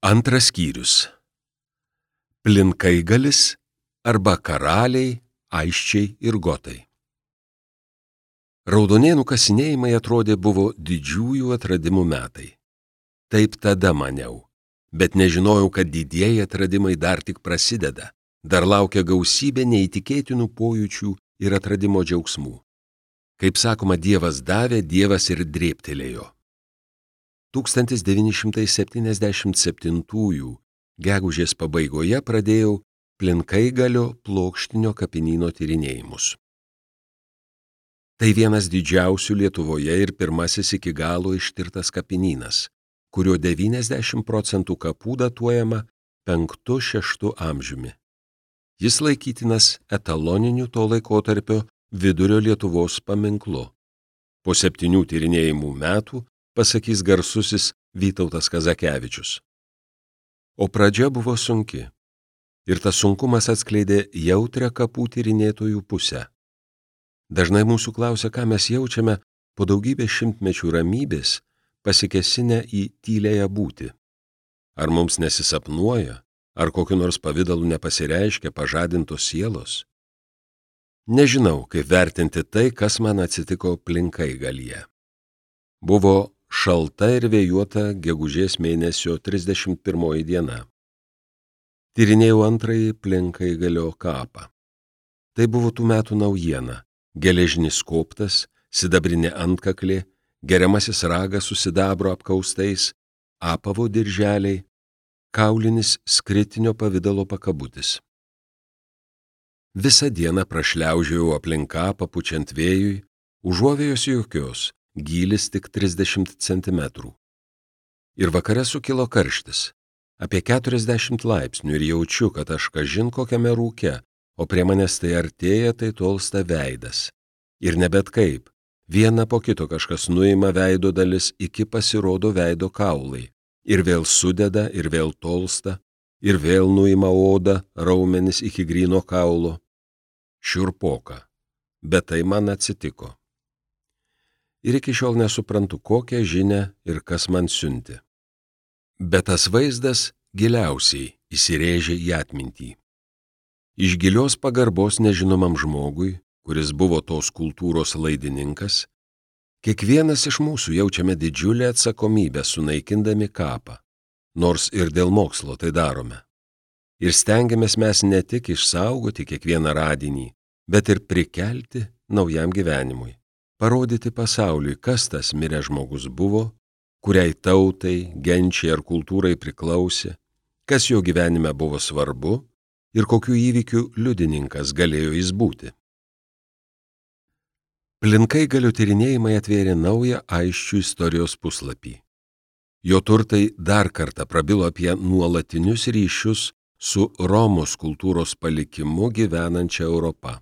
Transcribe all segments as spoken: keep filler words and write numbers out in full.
Antras skyrius. Plinkaigalis arba karaliai, aisčiai ir gotai. Raudonėnų kasinėjimai atrodė buvo didžiųjų atradimų metai. Taip tada maniau, bet nežinojau, kad didieji atradimai dar tik prasideda, dar laukia gausybė neįtikėtinų pojūčių ir atradimo džiaugsmų. Kaip sakoma, Dievas davė, Dievas ir drėbtelėjo. tūkstantis devyni šimtai septyniasdešimt septintųjų gegužės pabaigoje pradėjau Plinkaigalio plokštinio kapinyno tyrinėjimus. Tai vienas didžiausių Lietuvoje ir pirmasis iki galo ištirtas kapinynas, kurio devyniasdešimt procentų kapų datuojama penktu šeštu amžiumi. Jis laikytinas etaloniniu to laikotarpio vidurio Lietuvos paminklu. Po septynių tyrinėjimų metų pasakys garsusis Vytautas Kazakevičius. O pradžia buvo sunki. Ir tas sunkumas atskleidė jautrią kapų tyrinėtojų pusę. Dažnai mūsų klausia, ką mes jaučiame po daugybės šimtmečių ramybės, pasikesinę į tyliąją būtį. Ar mums nesisapnuoja, ar kokiu nors pavidalu nepasireiškia pažadintos sielos? Nežinau, kaip vertinti tai, kas man atsitiko Plinkaigalyje. Buvo šalta ir vėjuota gegužės mėnesio trisdešimt pirmoji diena. Tyrinėjau antrąjį Plinkaigalio kapą. Tai buvo tų metų naujiena. Geležinis koptas, sidabrinė antkaklė, geriamasis ragas su sidabro apkaustais, apavo dirželiai, kaulinis skritinio pavidalo pakabutis. Visą dieną prašliaužiau aplink kapą pučiant vėjui, užuovėjos jokios, gylis tik trisdešimt centimetrų. Ir vakare sukilo karštis, apie keturiasdešimt laipsnių ir jaučiu, kad aš kažin kokiame rūke, o prie manęs tai artėja, tai tolsta veidas. Ir ne bet kaip, viena po kito kažkas nuima veido dalis, iki pasirodo veido kaulai, ir vėl sudeda, ir vėl tolsta, ir vėl nuima odą, raumenis iki gryno kaulo. Šiurpoka, bet tai man atsitiko. Ir iki šiol nesuprantu, kokią žinią ir kas man siunti. Bet tas vaizdas giliausiai įsirėžė į atmintį. Iš gilios pagarbos nežinomam žmogui, kuris buvo tos kultūros laidininkas, kiekvienas iš mūsų jaučiame didžiulę atsakomybę sunaikindami kapą, nors ir dėl mokslo tai darome. Ir stengiamės mes ne tik išsaugoti kiekvieną radinį, bet ir prikelti naujam gyvenimui, parodyti pasauliui, kas tas miręs žmogus buvo, kuriai tautai, genčiai ar kultūrai priklausė, kas jo gyvenime buvo svarbu ir kokių įvykių liudininkas galėjo jis būti. Plinkaigalio tyrinėjimai atvėrė naują aisčių istorijos puslapį. Jo turtai dar kartą prabilo apie nuolatinius ryšius su Romos kultūros palikimu gyvenančia Europa.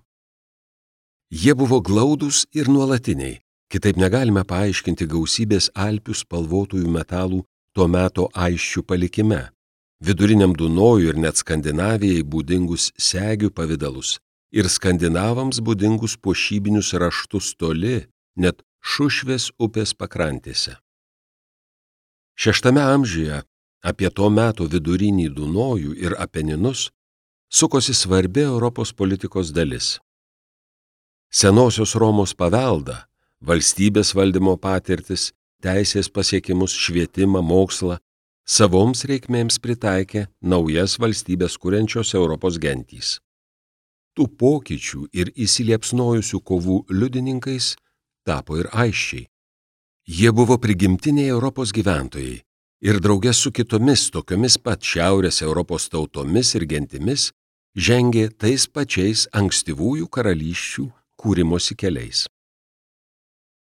Jie buvo glaudūs ir nuolatiniai, kitaip negalime paaiškinti gausybės Alpių spalvotųjų metalų tuo meto aisčių palikime, viduriniam Dunojui ir net Skandinavijai būdingus segių pavidalus ir skandinavams būdingus puošybinius raštus toli, net Šušvės upės pakrantėse. Šeštame amžiuje apie to meto vidurinį Dunojų ir Apeninus sukosi svarbi Europos politikos dalis. Senosios Romos paveldą, valstybės valdymo patirtis, teisės pasiekimus, švietimą, mokslą, savoms reikmėms pritaikė naujas valstybės kuriančios Europos gentys. Tų pokyčių ir įsiliepsnojusių kovų liudininkais tapo ir aisčiai. Jie buvo prigimtiniai Europos gyventojai ir drauge su kitomis tokiomis pat šiaurės Europos tautomis ir gentimis žengė tais pačiais ankstyvųjų karalysčių kūrimosi keliais.